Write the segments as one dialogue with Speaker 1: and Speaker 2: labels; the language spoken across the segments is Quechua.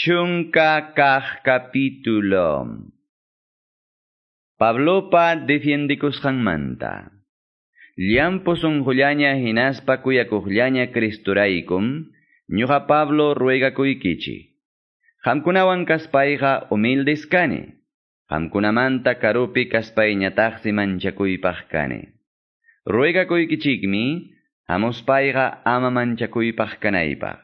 Speaker 1: Chunka kaq capítulo. Pablopa defiendikusqanmanta. Llampu sunqullaña hinaspa kuyakuqllaña Cristuraykum, ñuqa Pablo ruegakuykichik. Qamkunawan kaspayqa humildes kani. Qamkunamanta karupi kaspayñataqsi manchakuypaq kani. Ruegakuykichikmi, hamuspayqa ama manchakuypaq kanaypaq.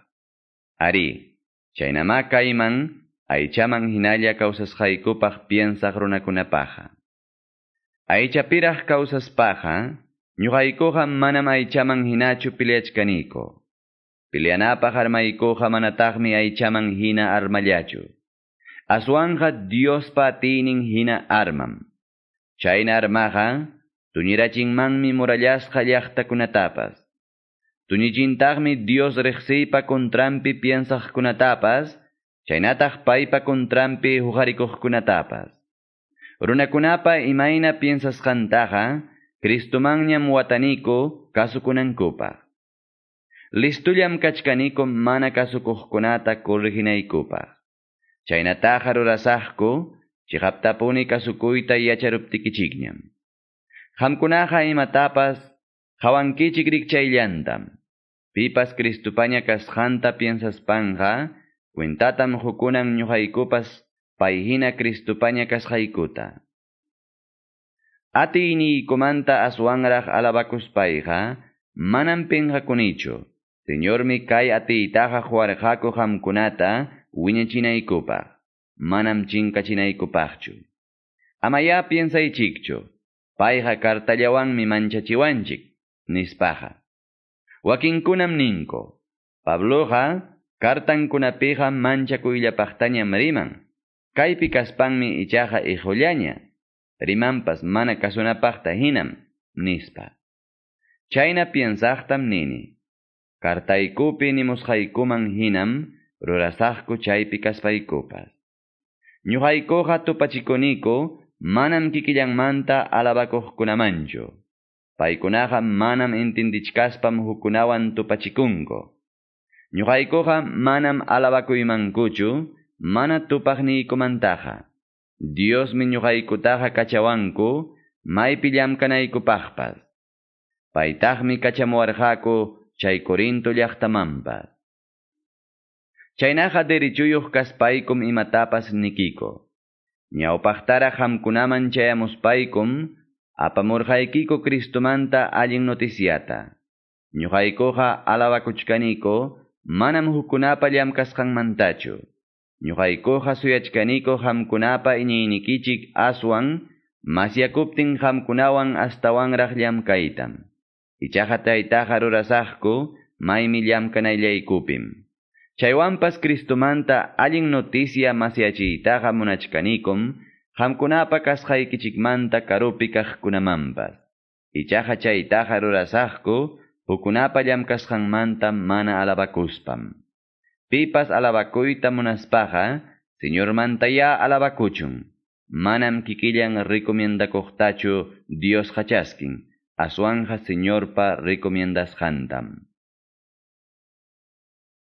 Speaker 1: Ari, chaynama kayman, aychaman hinalla kawsasqaykupaq piensaq runakunapaqa. Aychapiraq kawsaspaqa, ñuqaykuqa manam aychaman hinachu peleachkaniko. Peleanapaq armaykuqa manataqmi aychaman hina armallachu. Aswanja Diospa atiynin hina armam. Chayna armaqa, tuñirachinmanmi murallasqa llaqtakunatapas. Tuñichintaqmi Dios riqsiypa contranpi piensaqkunatapas, chaynataq paypa contranpi huqarikuqkunatapas. Runakunapa imayna piensasqantaqa, Cristomanñam wataniku kasukunankupaq. Listullam kachkaniku mana kasukuqkunata correginaykupaq. Chaynataqa rurasaqku, chiqaptapuni kasukuyta yacharuptikichikñam. Qamkunaqa imatapas qawankichik rikchayllantam. Pipas Cristupaña kasqanta piensaspanja, cuentatam hukunan ñuqaykupas payhina Cristupaña kasqaykuta. Atiyniykumanta aswanraq alabakuspayqa, manam pinqakunichu. Señormi kay atiytaqa huwarqaku qamkunata wiñachinaykupaq, manam chinkachinaykupaqchu. Amaya piensaychikchu, payqa kartallawanmi manchachiwanchik, nispaqa. Wakinkunam ninku, Pabloqa kartankunapiqa manchakuyllapaqtañam riman, kaypi kaspanmi ichaqa ihullaña, rimanpas mana kasunapaqta hinam, nispa. Chayna piensaqtam nini, kartaykupi nimusqaykuman hinam rurasaqku chaypi kaspaykupas. Ñuqaykuqa tupachikuniku manam kikillanmanta alabakuqkunamanchu. Paykunaqa manam entendichkaspam hukunawan tupachikunku. Ñuqaykuqa manam alabakuymankuchu, mana tupaqniykumantaqa. Diosmi ñuqaykutaqa kachawanku, maypi llamkanaykupaqpas. Paytaqmi kachamuwarqaku chay Corinto llaqtamanpas. Chaynaqa derechuyuq kaspaykum imatapas nikiko. Ñawpaqtaraq qamkunaman chayamuspaykum, apamurqaykiku Cristomanta allin noticiata. Ñuqaykuqa alabakuchkaniko, manam hukkunapa llamkasqanmantachu. Ñuqaykuqa suyachkaniko qamkunapa iñiynikichik aswan, masyakuptin qamkunawan astawanraq llamkaytam. Ichaqa taytaqa rurasaqku, maymi llamkanayllaykupim. Chaywanpas Cristomanta allin noticia masyachiytaqa munachkanikum, qamkunapa kasqaykichikmanta karupi kaqkunamanpas. Ichaqa chaytaqa rurasaqku, hukkunapa llamkasqanmanta mana alabakuspam. Pipas alabakuyta munaspaqa, Señormantaya alabakuchun. Manam kikillan recomiendakuqtachu Dios chaskin, aswanja Señorpa recomiendasqantam.